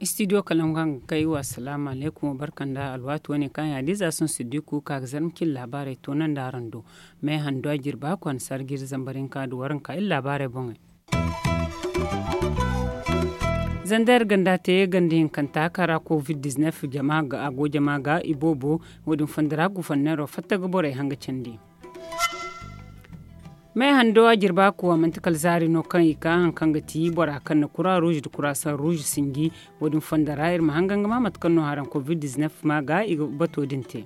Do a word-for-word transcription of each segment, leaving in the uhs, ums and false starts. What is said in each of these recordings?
Istidiyo kalangu hanga kay wa salaamu alaykum wa barka nda alwaati wane kaŋ yaadiza sohõ siddiku ka ga zarma cin laabaarey toonandi araŋ do. May hando a jirba kwaana sarjiri zambar hinka nda waranka iri laabaarey boŋey. Zandar ganda te ganda hinkanta kaŋ ra covid diznef jama ga a go jama ga iboobo. Wo- din fondo ra gufanneero fatta ga borey hanga candi. May hando a jirba kuwa manti kala zaari no kaŋ i ka hari kaŋ ga ti bora kaŋ na kura ruuzi nda kura saŋ ruuzi sinji. Wo- din fondo ra iri ma hangan ga ma mate kaŋ no haraŋ covid diznef ma ga i ga bato din te.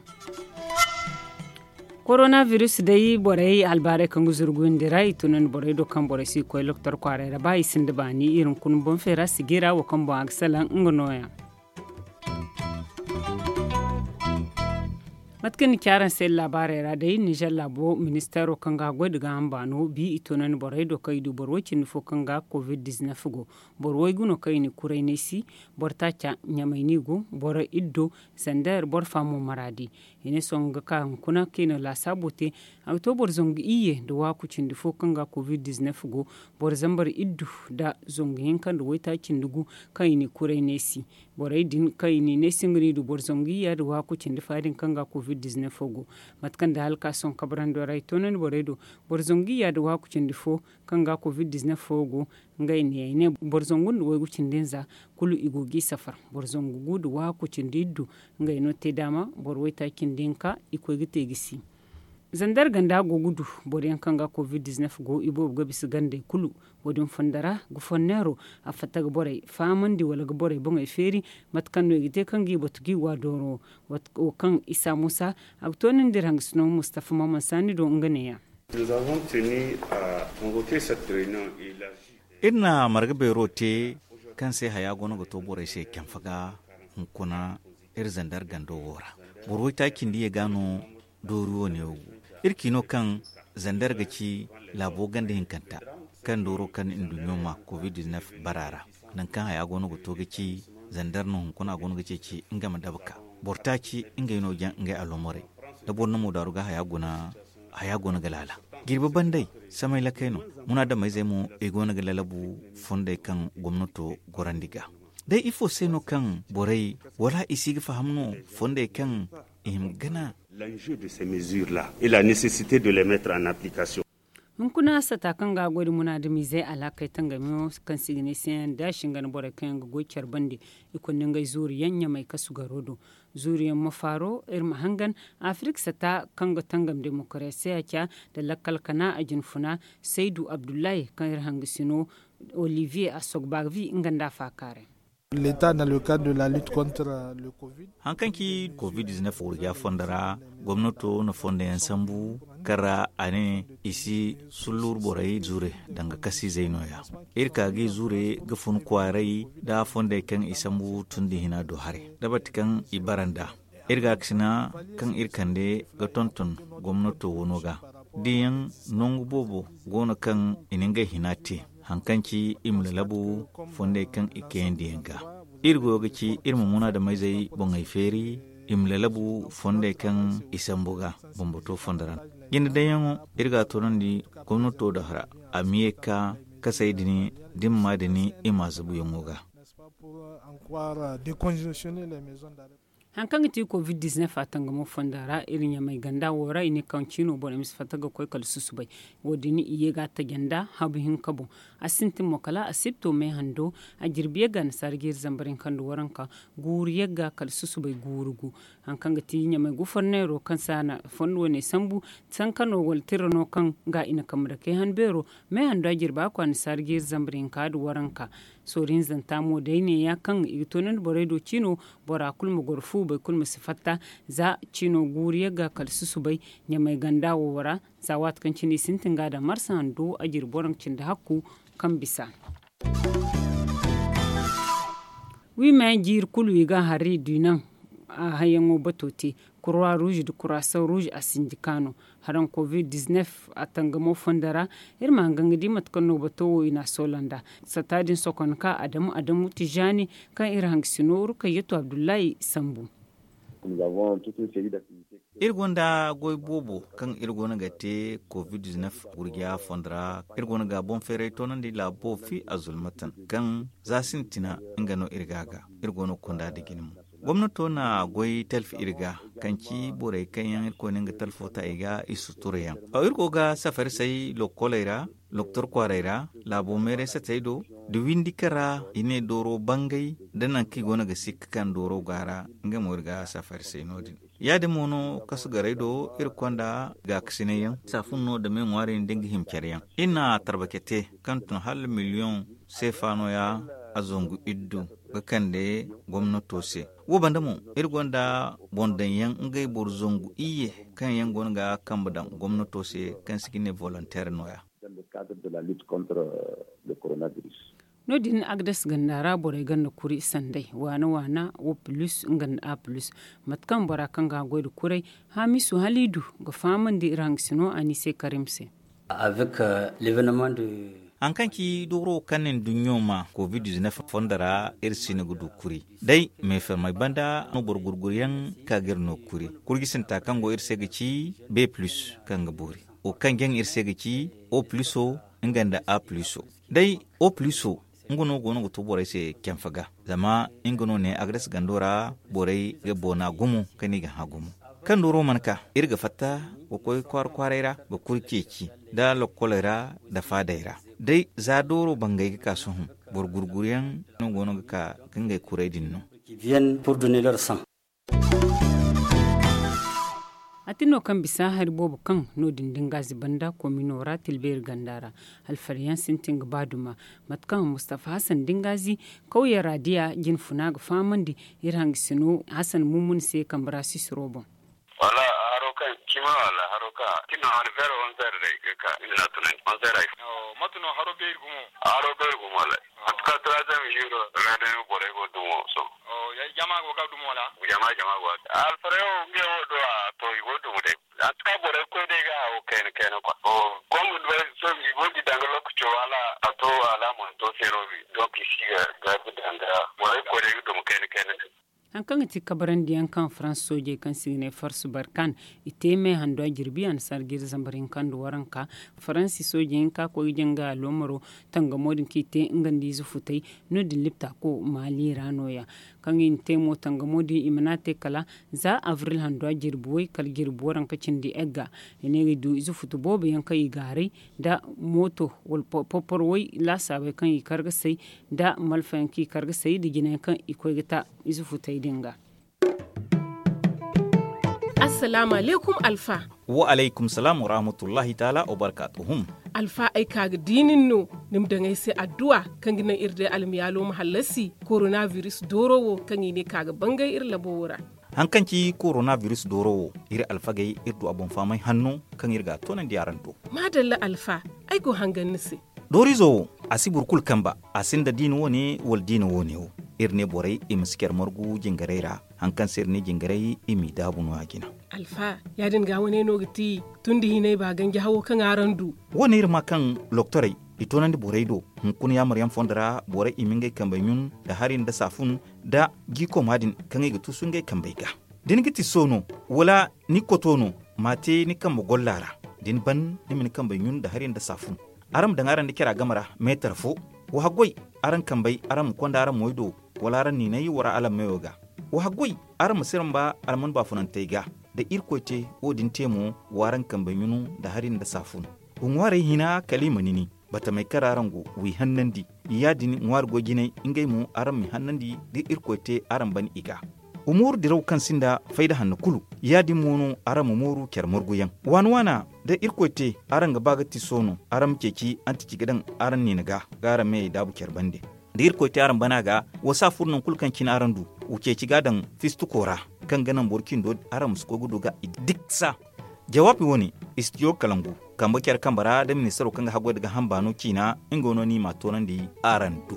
Korona virus day borey albaaray kaŋ ga zuru guyandi ra i tunandi borey do kaŋ borey si ga koy loktor kwaaray ra ba i sinda baani iri hunkuna boŋ feera sijira wo kaŋ boŋ a ga salaŋ nga nooya. Mate kaŋ ni ci araŋ se laabaarey ra day nizer laabo ministeero kaŋ ga goy nda gaaham baano bi i tunandi borey do kaŋ i du boro way- cindi fo kaŋ ga covid diznef go. Boro waygu no kaŋ i na kuray neesi. Boro taaca ɲamay no i go. Boro iddo zander boro fa mo maraadi. I ne sohõ ga ka hunkuna kaŋ i na laasaabo te. A ga to boro zangu iyye nda waaku cindi fo kaŋ ga covid diznef go. Boro zambar iddu nda zangu hinka nda waytaaci nda gu kaŋ i na i kuray neesi. Borey din kaŋ i na i neesi nga no i du boro zangu iyya nda waaku cindi fa din kaŋ ga covid diznef go. Mate kaŋ da hala ka sohõ kabrando ra i toonandi borey do. Boro zangu iyya nda waaku cindi fo kaŋ ga covid diznef fo go. Ngey neeya i ne boro zangu nda waygu cindi nza kulu i go g'i safar. Boro zangu gu nda waaku cindi iddu ngey no te daama boro waytaaci nda hinka i koy ga te gisi. Zander ganda go ga du boro yaŋ kaŋ ga covid diznef go i boobo ga bisa gandey kulu. Wo- din fondo ra gufanneero a fatta ga borey fahamandi wala ga borey boŋey feeri. Mate kaŋ no i ga te kaŋ g'i batu g'i wa dooro wo kaŋ isa muusa a ga toonandi iri hangasino mustafa maman saani do nga neeya. Iri na marga beero te kaŋ se haya goono ga to borey se camfe ga hunkuna iri zander gando wo ra. Boro waytaaci nda ye ga no doori wo ne wo go. Iri ci no kaŋ zander ga ci laabo ganda hinkanta kaŋ dooro kaŋ nduɲɲo ma covid diznef bara ra. Nangu kaŋ haya goono ga to ga ci zander no hunkuna a goono ga ceeci nga ma daba ka boro taaci ngey no jaŋ ngey alomorey. Da boro na moodaaru ga haya guna haya goono ga laala. Jirbi bandey samay lakey no. Munaadamayzey mo i goono ga lalabu fondey kaŋ gomnato gorandi ga. Day ifo se no kaŋ borey wala i si ga faham no fondey kaŋ i hima gana? L'enjeu de ces mesures là et la nécessité de les mettre en application. Hunkuna sata kaŋ ga a goy nda munaadamizey alaakey tangamiyaŋo kaŋ se i ga ne se yaŋ da shingan borey kaŋ yaŋ ga goy care bande. I kunda ngey zuuriyaŋ ɲamay kasu garo do. Zuuriyaŋ ma faaro iri ma hangan afirik sata kaŋ ga tangam demokarasiya ca nda lakkal kana a jinfuna saydu abdullahi kaŋ iri hangasino olivier asogbavi nga nda a faakaaray. Hari kaŋ ci covid diznef wurja fondo ra gomnato na fondo yaŋ sambu kaŋ ra a ne i si sullur borey zure danga kasiizey nooya. Iri ka ga i zure ga fun kwaaray nda fondey kaŋ i sambu tundi hina do haray da bati kaŋ i bara nd'a. Iri gaakasina kaŋ iri kande ga tonton gomnato wano ga diyaŋ nangu boobo go no kaŋ i na ngey hina te. Hari kaŋ ci i ma lalabu fondey kaŋ i kayandi yaŋ ga. Iri goyo ga ci iri ma munaadamayzey boŋey feeri i ma lalabu fondey kaŋ i sambu ga bambato fondo ra. Jinde dayyaŋo iri ga a toonandi gomnato do hara a ma ye ga ka kasey din dimma din i ma a zabuyaŋo ga. Hari kaŋ ga ti covid diznef a tangamo fonda ra iri ɲamay ganda wo ra i ne kaŋ ciino borey ma si fatta ga koy kala susubay. Wo- din i ye ga a taja nda habu hinka boŋ. A sintin mo kala a sibto me hando a jirbi yagga nasaara jiiri zambar hinka nda waranka guuru yagga kala susubay guuru gu. Hari kaŋ ga ti ɲamay gufarneero kaŋ se a na fondo wane sambu sankano wala tira no kaŋ ga i na kambe dake han beero. Me hando a jirba kwaana saara jiiri zambar hinka nda waranka. Soori hinzanta mo day neeya kaŋ i ga toonandi borey do ciino. Bora kulu ma goro fu boro kulu ma si fatta za ciino guuru yagga kala susubay ɲamay ganda wo ra. Za waati kaŋ cine i sintin ga a daŋ marsa hando a jiri boro cindi hakku kaŋ bisa. Wi ma yaŋ jiiri kulu i ga a hari i du i naŋ a hayyaŋo bato te. Kurwa ruuzi nda kurasaŋ ruuzi a sinji kaano haraŋ covid diznef a tangamo fondo ra. Iri ma hangan ga di mate kaŋ no bato wo i na a soola nd'a. Sata din sokon ka adamu adamu tijaani kaŋ iri hangasino rukayyato abdullahi sambu. Iri gonda goy boobo kaŋ iri goono ga te covid gurja fondo ra. Iri goono ga boŋ feeray toonandi laabo fi a zulmatan kaŋ za sintina nga no iri ga a ga. Iri goono ga konda da jine mo. Gomnato na goy talfi iri ga kaŋ ci borey kaŋ yaŋ iri koyne nga talfo ta i ga i sutura yaŋ. Iri go ga safari say lokoley ra, doktor kwaaray ra, laabo meeray satey do, da windi kara i ne dooro bangay da nangu kaŋ i goono ga sikka kaŋ dooro go a ra. Nga mo iri ga safari say no- din. Ya- din mo no kasu garay do iri konda gaakasinay yaŋ saafun no da me ŋwaari nda nga hima care yaŋ. Iri na tarbake te kaŋ tun hala miliyoŋ seefa no- ya a zangu iddu ga kande gomnato se. Wo banda mo iri gonda boŋ daŋ yaŋ ngey boro zangu iyye kaŋ yaŋ go no ga kambe daŋ gomnato se kaŋ se ga ne volonteer no- ya. No- din agdas ganda ra borey ganda kuri sanday waana waana wo plus nga nda a plus. Mate kaŋ bora kaŋ ga a goy nda kuray, hamisu haliidu ga fahamandi iri hangasino a ni se karim se. Hari kaŋ ci dooro kaŋ na nduɲɲo ma covid fondo ra iri si no ga du kuri. Day meefermey banda no boro gurguryaŋ ka ga iri no kuri. Kurjisinta kaŋ go iri se ga ci b plus kaŋ ga boori. Wo kaŋ jaŋ iri se ga ci o pluso nga nda a pluso. Day o pluso nga no go no ga to borey se canfa ga. Zama nga no ne agres gando ra borey ga boona gumo kaŋ i ga hã gumo. Kaŋ dooro mana ka iri ga fatta ga koy kwaara kwaaray ra ga kuri ceeci nda lokkoley ra nda faadey ra. Day za dooro bangay ga ka sohõ boro gurguryaŋ no go no ga ka ga ngey kuray din no. A tin no kaŋ bisa hari boobo kaŋ no- din dingazi banda komino ra tilbeeri ganda ra. Alfariyaŋ sintin ga ba duma mate kaŋ mustafa hasan dingazi kawya ra diya jine funa ga fahamandi iri hangasino hasan mumuni se kambe ra sisiro boŋ. Wala haro kaŋ cima wala haro kaŋ cima wala fero wanzar day ga ka ina na tunandi wanzar ay. Mate no haro beeri gumo. Haro beeri gumo wala mate kaŋ turaazam hiro ra day no borey go dumo so. Jama go ga dumo wala? Jama jama go alfarayo nge wo do a to i go dumo day. Mate kaŋ borey koy day ga hawo kayna kayna kwa. Kom do so i go di danga lokaco wala a to wala mo to se no bi donc i si ga ga danga borey koy day ga dumo kayna kayna. Hari kaŋ ga ti kabarandiyaŋ kaŋ farans soojey kaŋ se i ga ne farsu barkan i te me handu a jirbi annasaara jiiri zambar hinka nda waranka. Faransi soojey hinka koy ga janga aloomaro tangamo din kaŋ i te nga nda ize futay no- din lipta ko maali ra no- ya. Kaŋ i na te mo tangamo din i mana a te kala za abril handu a jirbi way kala jirbi waranka cindi egga. I ne ga du ize futu boobo yaŋ kaŋ i gaaray nda mooto wala porporo way laasaabey kaŋ i kar ga say nda malfayaŋ kaŋ i kar ga say nda jinayaŋ kaŋ i koy ga ta ize futey din ga. Assalaamu alaykum alfa. Wa alaykum salaam wa rahmatullahi taala wa barkaatuhum. Alfa ay ka ga di nin no ni ma daŋ ay se adduwa kaŋ ga naŋ iri day almiyaalo ma hallasi korona biris dooro wo kaŋ i ne ka ga bangay iri labo wo ra. Hari kaŋ ci korona biris dooro wo iri alfagey iri du a boŋ fahamay hanno kaŋ iri ga a toonandi araŋ do. Maadalla alfa, ay go hangan ni se. Dooriizo wo a si boro kulu kamba a sinda diina wo- ne wala diina wo- ne wo. Iri ne borey i ma si care margu jingarey ra. Hari kaŋ se iri ne jingarey i m'i daabu no- ya jina. Alfa, ya- din ga wane no ga ti tun da hinay ba ganji hawo kaŋ araŋ du. Wo- ne iri ma kaŋ loktorey i toonandi borey do hunkuna yaamaryaŋ fondo ra borey i ma ngey kambey ɲun nda hari nda saafun nda jiikooma din kaŋ i ga tuusu ngey kambey ga. Da ni ga ti so no wala ni koto no, ma a te ni kambe golla ra. Da ni ban ni ma ni kambey ɲun nda hari nda saafun. Araŋ ma daŋ araŋ nda cara game ra meetar fo. Wa haggoy araŋ kambey araŋ ma konda araŋ moy do wala araŋ niinay wara alammeyo ga. Wa haggoy araŋ ma si ramba alman baafunantey ga. Da irkoy te wo- din te mo wa araŋ kambey ɲunu nda hari nda saafun. Wa ŋwaarey hina kala i ma nini batamey kaŋ ra araŋ go w'i hannandi. Ya- din ŋwaari goy jinay ngey mo araŋ m'i hannandi da irkoy te araŋ ban i ga. Wa mooru diraw kaŋ sinda fayda hanno kulu. Ya- din mo no araŋ ma mooru care marguyaŋ waana waana da irkoy te araŋ ga ba ga ti so no araŋ ma ceeci antici ga daŋ araŋ niina ga ga araŋ meyey daabu care bande. Da irkoy te araŋ bana ga wa saafur nangu kulu kaŋ cine araŋ du wa ceeci ga a daŋ fistuko ra kaŋ ga naŋ boro cindo araŋ ma si koy ga du ga i diksa. Jawaabi wo- ne istiyo kalangu kambe care kambe ra da ministaro kaŋ ga haggoy nda ga hamba no ciina nga no no i m'a toonandi araŋ do.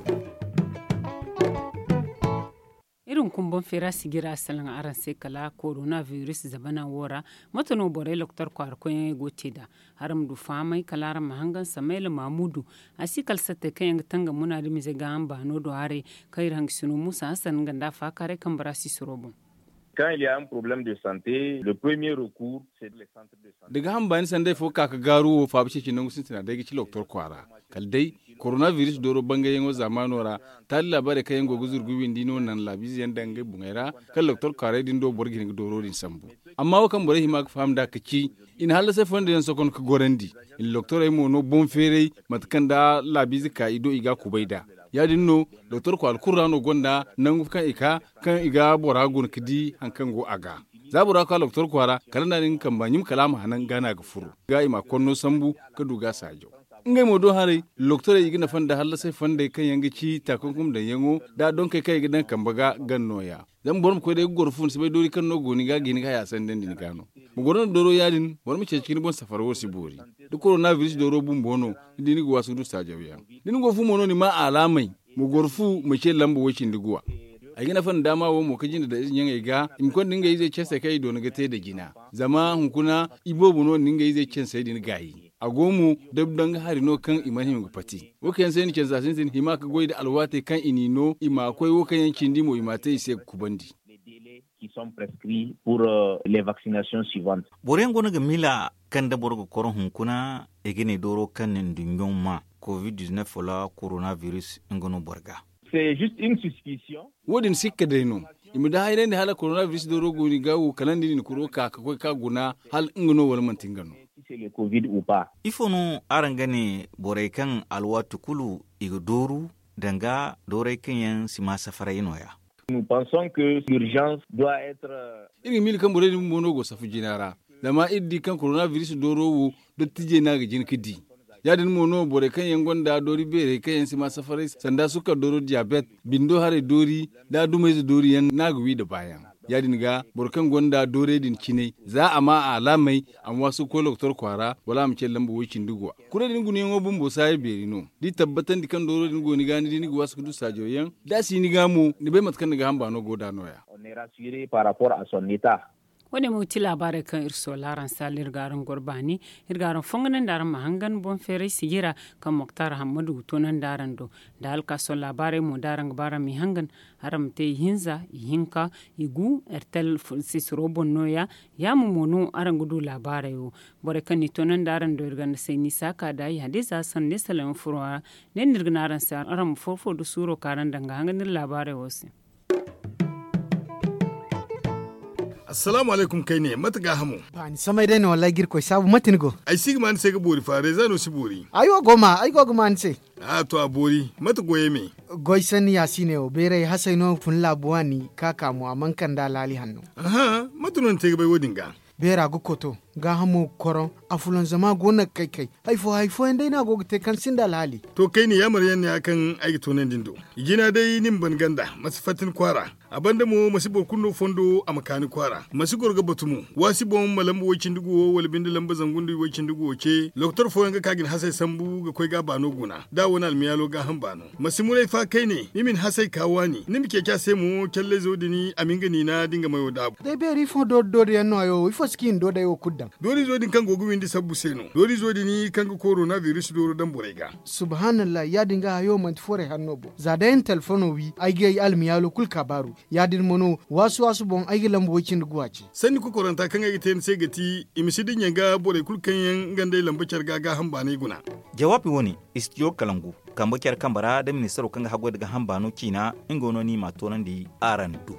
Iri hunkuna boŋ feera sijira salaŋ araŋ se kala korona biris zabana wo ra. Mate no borey loktor kwaara koyyaŋey go ga te nd'a? Araŋ ma du fahamay kala araŋ ma hangan samayla maamudu. A si kala sattey kaŋ yaŋ ga tangam munaadamize gaaham baano do haray kaŋ iri hangasino muusa hasan nga nda a faakaaray kambe ra sisiro boŋ. Quand il y a un problème de santé, le premier recours, c'est le centre de santé. Da ga hamba ni sanday fo ka ga gaaru wo faabu ceeci nangu sintina day ga ci loktor kwaara. Kala day korona biris dooro bangayyaŋo zaamaano ra, taali laabaarey kaŋ yaŋ go ga zuru ga windi no naŋ laabiize yaŋ daŋ ngey boŋey ra, kala loktor kwaaray din do boro ga hin ga dooro din sambu. Amma wo kaŋ borey hima ga faham nd'a ka ci, i na hallasay fondo yaŋ sokon ga gorandi. I na loktorey mo no boŋ feeray mate kaŋ da laabiize ka i do i ga a kubay nd'a. Ya- din no, doktor kwaara kulu ra no gonda nangu kaŋ i ka, kaŋ i ga bora guna ga di hari kaŋ go a ga. Za bora ga ka doktor kwaara, kala nda a na nga kamba ɲum kala a ma hanan ga no a ga furu ga i ma a konno sambu, ka du ga a saajaw. Ngey mo do haray, doktorey i ga nafa nda hallasay fondey kaŋ yaŋ ga ci taakunkum daŋyaŋo, nda donkey kaŋ i ga daŋ kambe ga gan nooya. Zama boro ma koy day ga goro fu ni si bay doori kaŋ no go ni ga ga hin ga haya sandandi ni ga no. Ma goro nda dooro ya- din, boro ma ceeci ga ni boŋ safara wo si boori. Da korona biris dooro bumbo no, ni di ni ga waasu ga du saajawyaŋ. Da ni go fu mo no ni ma alaamey, ma goro fu ma ce lamba way-cindi guwa. Ay ga nafa nda daama wo mo ka jinde daŋ ize ɲaŋey ga i ma konda ngey izey cansey kaŋ i doona ga te nda jina. Zama hunkuna iboobo no nda ngey izey cansey din gaayi. A go mo, dabdanga hari no kaŋ i mana hima ga pati. Wo kaŋ yaŋ se ni cansa sintin hima ga goy nda alwaatey kaŋ i n'i no i ma koy wo kaŋ yaŋ cindi mo i ma a te i se ga kubandi. Qui sont prescrits pour les vaccinations suivantes. Boro yaŋ go no ga miila kaŋ da boro ga koro hunkuna i ga ne dooro kaŋ na nduɲɲo ma covid-19 wala korona biris nga no boro ga. Wo- din sikka day no. I ma da hayrandi hala korona biris dooro go ni ga wo kala nda ni na kuro ka ga koy ka guna hala nga no wala manti nga no. Ifo no araŋ ga ne borey kaŋ alwaati kulu i ga dooru danga doorey kaŋ yaŋ si ma safaray no- ya? Iri ga miila kaŋ borey din bumbo no go safu jina ra. Zama iri di kaŋ korona biris dooro wo dottijey no a ga jin ga di. Ya- din mo no borey kaŋ yaŋ gonda doori beerey kaŋ yaŋ si ma safaray sanda sukkar dooro diyabet, bindo haray doori, nda dumayze doori yaŋ no a ga wi nda baayaŋ. Ya- din ga boro kaŋ gonda doorey din cinay, za a ma a alaamey, a ma waasu ga koy lokotor kwaara wala a ma ce lamba way-cindi guwa. Kurey din gunayaŋo bumbo saaya beeri no. Da i tabbatandi kaŋ dooro din go ni ga ni di ni ga waasu ga du saajo yaŋ, da a si ni ga mo ni bay mate kaŋ ni ga hamba no go nd'a no- ya. Wo- ne mo ga ti laabaarey kaŋ iri soola araŋ se hala iri ga araŋ goro baani. Iri ga araŋ fonganandi araŋ ma hangan boŋ feeray sijira kaŋ moktar hammadu ga toonandi araŋ do. Nda hala ka sohõ laabaarey mo da araŋ ga ba araŋ m'i hangan, araŋ ma te ihinza, ihinka, igu, ertel sisiro boŋ no- ya. Ya- mo mo no araŋ ga du laabaarey wo. Borey kaŋ n'i toonandi araŋ do iri ganda se n'i saaka nd'a i hadiza sanne salaŋ yaŋ furo ra. Ne no iri ga ne araŋ se araŋ ma foro fo du suuro kaŋ araŋ daŋ ga hangan iri laabaarey wo se. Assalaamu alaykum kayne mate gaahamo? Ba ni samay day no wallaahi ga irkoy saabu mate ni go? Ay si ga ma ni se ga boori fa reeza no si boori. Ay wo go ma ay go ga ma ni se. A to a boori mate goyey me? Goy sanni yaasiiney wo beeray hasey no fun laabu waani ka ka mo a mana kande alhaali hanno. Aha, mate no ni te ga bay wo- din ga? Beera ga koto, gaahamo ga koroŋ, a fulanzama go no ga kay kay. Hari fo hari fooyaŋ day no a go ga te kaŋ sinda alhaali. To kayne yaamar yaŋ no- ya kaŋ ay ga toonandi ni do. I jina day ni ma ban ganda ma si fatta ni kwaara. A banda mo ma si boro kulu no fondo a ma ka ni kwaara ma si goro ga batu mo. Waasi boŋ ma lamba way-cindi guwo wala binde lamba zangu nda way-cindi guwo ce lokotor fooyaŋ ga ka ga ni hasey sambu ga koy ga a baano guna da a wane almiyaalo gaaham baano. Ma si muray fa kayne ni ma ni hasey ka waani ni ma ceeci a se mo callayzo din a ma nga niina da nga mayo daabu. Day beeri ifo doori doori yaŋ no hayo wo ifo si ka i na doodey wo kulu daŋ? Doorizo din kaŋ go ga windi sabbu se no. Doorizo din kaŋ ga korona biris dooro daŋ borey ga. Subhaanallahi ya- din ga hayo manti forey hanno boŋ za day ay na telefono wi ay ga ay almiyaalo kulu ka baaru. Ya- din mo no waasu waasu boŋ ay ga lamba way-cindi guwa ce. Sanni kokoranta kaŋ ay ga te ni se ga ti i ma si dinya ga borey kulu kaŋ yaŋ nga nd'ey lamba care ga gaaham baanay guna. Jawaabi wo- ne, istijo kalangu kambe care kambe ra da ministaro kaŋ ga haggoy nda gaaham baano ciina nga no ni m'a toonandi araŋ do.